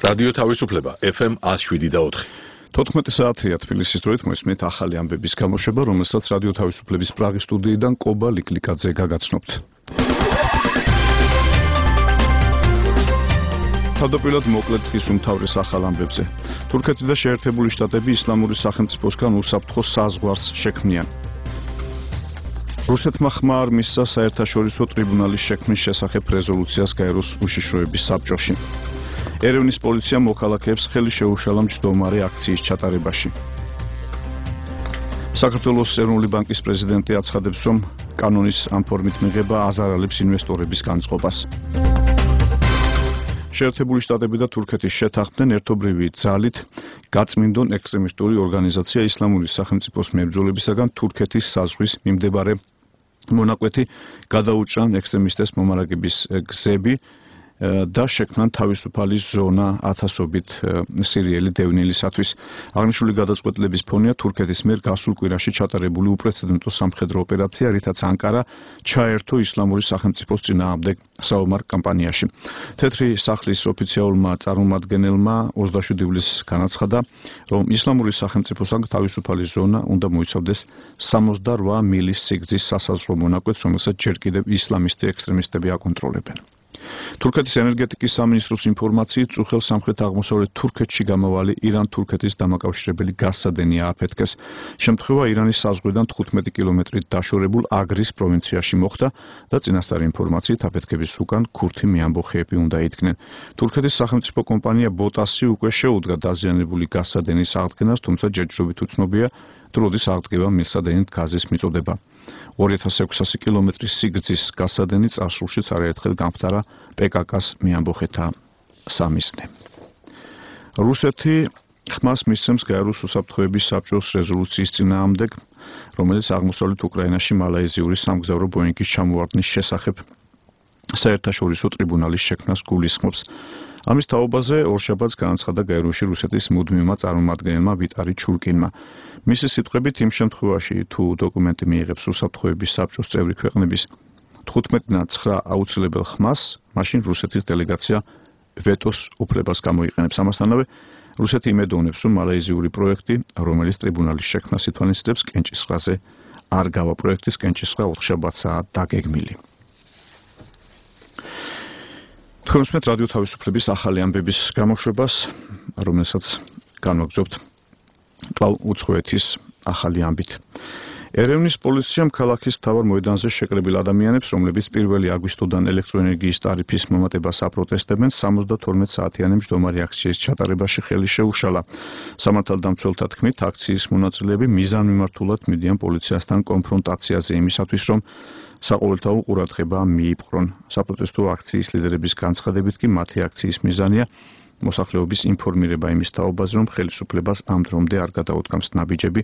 რადიო თავისუფლება FM 107.4. 14 საათია თბილისის დროით მოისმენთ ახალი ამბების გამოშვება, რომელსაც რადიო თავისუფლების პრაღის სტუდიიდან კობა ლიკლიკაძე გაგაცნობთ. თავდაპირველად მოკლედ დღის უმთავრეს ახალ ამბებზე. თურქეთი და შეერთებული შტატები ისლამური სახელმწიფოსგან უსაფრთხო საზღვარს შექმნიან. რუსეთმა ხმა არ მისცა საერთაშორისო ტრიბუნალის შექმნის შესახებ რეზოლუციას გაეროს უშიშროების საბჭოში. ერევნის პოლიციამ მოქალაქეებს ხელი შეუშალა მჯდომარე აქციის ჩატარებაში. საქართველოს ეროვნული ბანკის პრეზიდენტი აცხადებს, რომ კანონის ამ ფორმით მიღება აზარალებს ინვესტორების განწყობას. შეერთებული შტატები და თურქეთი შეთანხმდნენ ერთობრივი ძალით გაწმინდონ ექსტრემისტული ორგანიზაცია ისლამური სახელმწიფოს მებრძოლებისაგან თურქეთის საზღვრის მიმდებარე მონაკვეთი გადაუჭრან ექსტრემისტებს მომარაგების გზები და შექმნან თავისუფალი ზონა ათასობით სირიელი დევნილისათვის. აღნიშნული გადაწყვეტილების ფონია თურქეთის მიერ გასულ კვირაში ჩატარებული უპრეცედენტო სამხედრო ოპერაცია, რითაც ანკარა ჩაერთო ისლამური სახელმწიფოს წინააღმდეგ საომარ კამპანიაში. თეთრი სახლის ოფიციალურმა წარმომადგენელმა 27 ივლისს განაცხადა, რომ ისლამური სახელმწიფოსგან თავისუფალი ზონა უნდა მოიცავდეს 68 მილის სიგრძის სასაზღვრო მონაკვეთს, რომელსაც ჯერ კიდევ ისლამისტი ექსტრემისტები აკონტროლებენ. თურქეთის ენერგეტიკის სამინისტროს ინფორმაციით, წუხელ სამხრეთ-აღმოსავლეთ თურქეთში გამავალი ირან-თურქეთის დამაკავშირებელი გაზსადენი ააფეთქეს. შემთხვევა ირანის საზღვრიდან 15 კილომეტრით დაშორებულ აგრის პროვინციაში მოხდა და წინასწარი ინფორმაციით აფეთქების უკან ქურთი მეამბოხეები უნდა იდგნენ. თურქეთის სახელმწიფო კომპანია ბოტასი უკვე შეუდგა დაზიანებული გაზსადენის აღდგენას, თუმცა ჯერჯერობით უცნობია, თუ როდის აღდგება მილსადენით გაზის მიწოდება. 2600 კილომეტრის სიგრძის გაზსადენი წარსულშიც არაერთხელ გამხდარა PKK-ს მეამბოხეთა სამიზნე. რუსეთი ხმას მისცემს გაეროს უსაფრთხოების საბჭოს რეზოლუციის წინააღმდეგ, რომელიც აღმოსავლეთ უკრაინაში მალაიზიური სამგზავრო ბოინგის ჩამოვარდნის შესახებ საერთაშორისო ტრიბუნალის შექმნას გულისხმობს. ამის თაობაზე ორშაბათს განაცხადა გაეროში რუსეთის მუდმივმა წარმომადგენელმა ვიტარი ჩურკინმა. მისი სიტყვებით, იმ შემთხვევაში, თუ დოკუმენტი მიიღებს უსაფრთხოების საბჭოს წევრი ქვეყნების 15-9 აუცილებელ ხმას, მაშინ რუსეთის დელეგაცია ვეტოს უფლებას გამოიყენებს. ამასთანავე, რუსეთი იმედოვნებს, რომ მალაიზიური პროექტი, რომელიც ტრიბუნალის შექმნას ითვალისწინებს, კენჭისყრაზე არ გავა. პროექტის კენჭისყრა 4 შაბათსაა დაგეგმილი. თქვენ უსმენთ რადიო თავისუფლების ახალი ამბების გამოშვებას, რომელსაც განვაგრძობთ კვლავ უცხოეთის ახალი ამბით. ერევნის პოლიციამ ქალაქის მთავარ მოედანზე შეკრებილ ადამიანებს, რომლებიც 1 აგვისტოდან ელექტროენერგიის ტარიფის მომატებას აპროტესტებენ, 72 საათიანი მჯდომარე აქციის ჩატარებაში ხელი შეუშალა. სამართალდამცველთა თქმით, აქციის მონაწილეები მიზანმიმართულად მიდიან პოლიციასთან კონფრონტაციაზე იმისათვის, რომ საყოველთაო ყურადღება მიიპყრონ. საპროტესტო აქციის ლიდერების განცხადებით კი მათი აქციის მიზანია მოსახლეობის ინფორმირება იმის თაობაზე, რომ ხელისუფლებას ამ დრომდე არ გადაუდგამს ნაბიჯები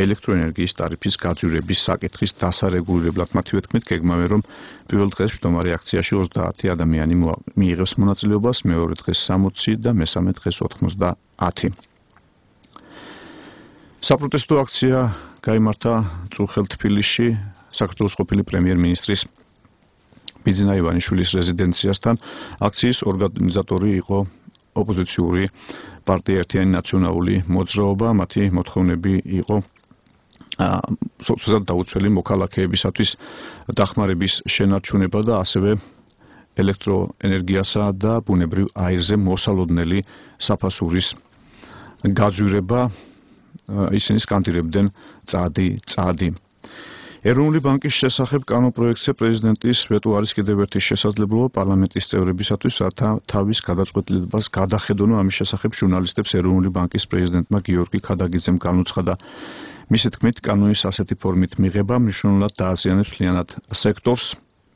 ელექტროენერგიის ტარიფის გაძვირების საკითხის დასარეგულირებლად. მათივე თქმით, გეგმავენ, რომ პირველ დღეს მჯდომარე აქციაში 30 ადამიანი მიიღებს მონაწილეობას, მეორე დღეს 60 და მესამე დღეს 90. საპროტესტო აქცია გაიმართა წუხელ თბილისში საქართველოს ყოფილი პრემიერ-მინისტრის ბიძინა ივანიშვილის რეზიდენციასთან. აქციის ორგანიზატორი იყო ოპოზიციური პარტია ერთიანი ნაციონალური მოძრაობა. მათი მოთხოვნები იყო სოციალურად დაუცველი მოქალაქეებისათვის დახმარების შენარჩუნება და ასევე ელექტროენერგიასა და ბუნებრივ აირზე მოსალოდნელი საფასურის გაძვირება. ისინი სკანდირებდნენ წადი. ეროვნული ბანკის შესახებ კანონპროექტზე პრეზიდენტის ვეტო არის კიდევ ერთი შესაძლებლობა პარლამენტის წევრებისათვის, რათა თავის გადაწყვეტილებას გადახედონ. ამის შესახებ ჟურნალისტებს ეროვნული ბანკის პრეზიდენტმა გიორგი ქადაგიძემ განუცხადა. მისი თქმით, კანონის ასეთი ფორმით მიღება მნიშვნელოვნად დააზიანებს მთლიანად სექტორს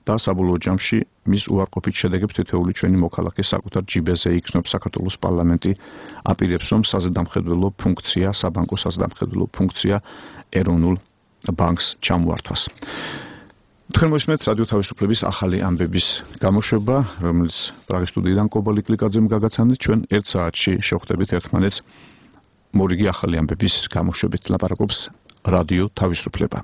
და საბოლოო ჯამში მის უარყოფით შედეგებს თითოეული ჩვენი მოქალაქე საკუთარ ჯიბეზე იქნობს. საქართველოს პარლამენტი აპირებს, რომ საზედამხედველო ფუნქცია, საბანკო საზედამხედველო ფუნქცია ეროვნულ ბანკს ჩამოართვას. თქვენ მოსმენთ რადიო თავისუფლების ახალი ამბების გამოშვება, რომელიც პრაღის სტუდიიდან კობა ლიკლიკაძემ გაგაცანეთ. ჩვენ 1 საათში შევხვდებით ერთმანეთს მორიგი ახალი ამბების გამოშვებით. ლაპარაკობს რადიო თავისუფლება.